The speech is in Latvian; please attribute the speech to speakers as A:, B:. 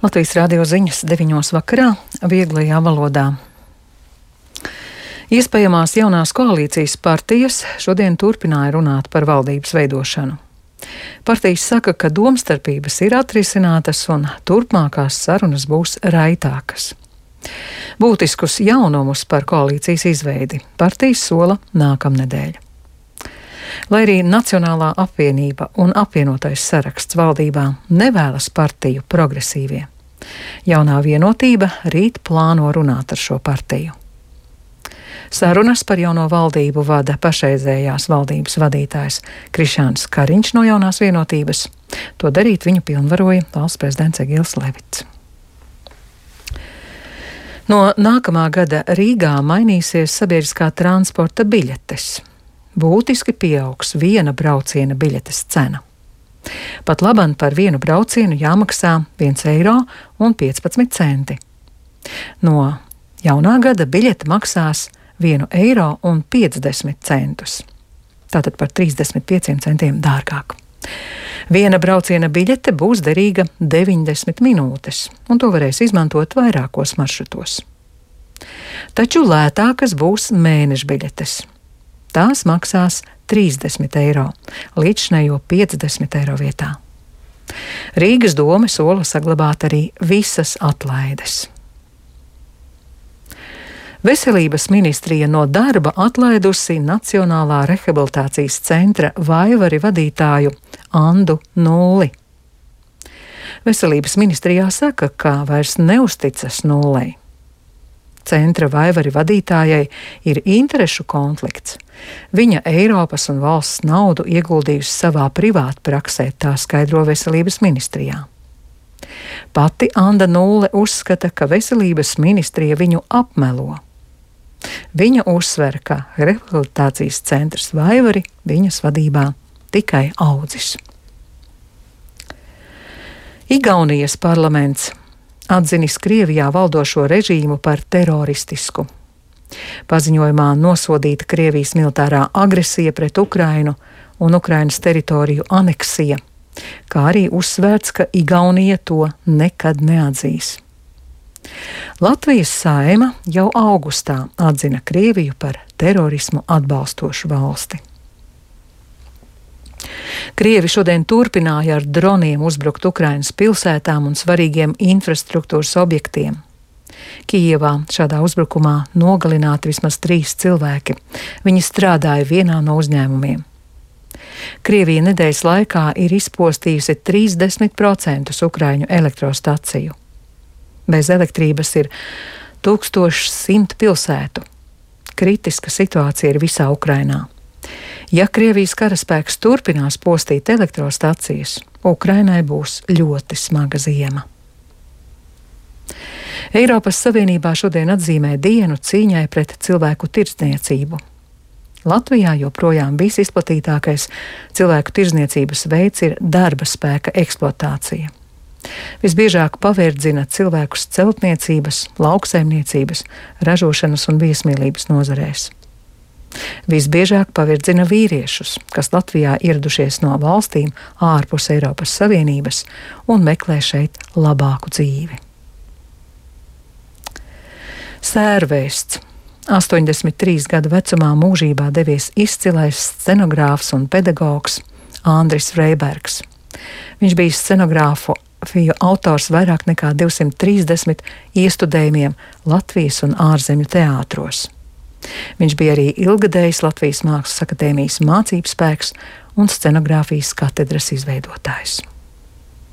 A: Latvijas radio ziņas 9 vakarā vieglajā valodā. Iespējamās jaunās koalīcijas partijas šodien turpināja runāt par valdības veidošanu. Partijas saka, ka domstarpības ir atrisinātas un turpmākās sarunas būs raitākas. Būtiskus jaunumus par koalīcijas izveidi partijas sola nākamnedēļ. Lai arī Nacionālā apvienība un apvienotais saraksts valdībā nevēlas partiju progresīvie, jaunā vienotība rīt plāno runāt ar šo partiju. Sarunas par jauno valdību vada pašreizējās valdības vadītājs Krišjāns Kariņš no jaunās vienotības. To darīt viņu pilnvaroja valsts prezidents Egils Levits. No nākamā gada Rīgā mainīsies sabiedriskā transporta biļetes. Būtiski pieaugs viena brauciena biļetes cena. Pat labam par vienu braucienu jāmaksā 1,15 eiro. No jaunā gada biļete maksās 1,50 eiro. Tātad par 35 centiem dārgāk. Viena brauciena biļete būs derīga 90 minūtes, un to varēs izmantot vairākos maršrutos. Taču lētākas būs mēneša biļetes. Tās maksās 30 eiro, līdzšinējo 50 eiro vietā. Rīgas dome sola saglabāt arī visas atlaides. Veselības ministrija no darba atlaidusi Nacionālā rehabilitācijas centra Vaivari vadītāju Andu Nulli. Veselības ministrijā saka, ka vairs neusticas Nullei. Centra Vaivari vadītājai ir interešu konflikts. Viņa Eiropas un valsts naudu ieguldījusi savā privātpraksē, tā skaidro Veselības ministrijā. Pati Anda Nulle uzskata, ka Veselības ministrija viņu apmelo. Viņa uzsver, ka rehabilitācijas centrs Vaivari viņas vadībā tikai audzis. Igaunijas parlaments atzinis Krievijā valdošo režīmu par teroristisku. Paziņojumā nosodīta Krievijas militārā agresija pret Ukrainu un Ukrainas teritoriju aneksija, kā arī uzsvērts, ka Igaunija to nekad neatzīs. Latvijas Saeima jau augustā atzina Krieviju par terorismu atbalstošu valsti. Krievi šodien turpināja ar droniem uzbrukt Ukrainas pilsētām un svarīgiem infrastruktūras objektiem. Kijevā šādā uzbrukumā nogalināti vismaz 3 cilvēki. Viņi strādāja vienā no uzņēmumiem. Krievija nedēļas laikā ir izpostījusi 30% ukraiņu elektrostaciju. Bez elektrības ir 1100 pilsētu. Kritiska situācija ir visā Ukrainā. Ja Krievijas karaspēks turpinās postīt elektrostacijas, Ukrainai būs ļoti smaga ziema. Eiropas Savienībā šodien atzīmē dienu cīņai pret cilvēku tirdzniecību. Latvijā joprojām visizplatītākais cilvēku tirdzniecības veids ir darba spēka eksploatācija. Visbiežāk pavērdzina cilvēkus celtniecības, lauksaimniecības, ražošanas un viesmīlības nozarēs. Visbiežāk pavirdzina vīriešus, kas Latvijā ieradušies no valstīm ārpus Eiropas Savienības un meklē šeit labāku dzīvi. Sērvēsts. 83 gadu vecumā mūžībā devies izcilais scenogrāfs un pedagogs Andris Freibergs. Viņš bija scenogrāfu autors vairāk nekā 230 iestudējumiem Latvijas un ārzemju teātros. Viņš bija arī ilgadējs Latvijas Mākslas akadēmijas mācības spēks un scenogrāfijas katedras izveidotājs.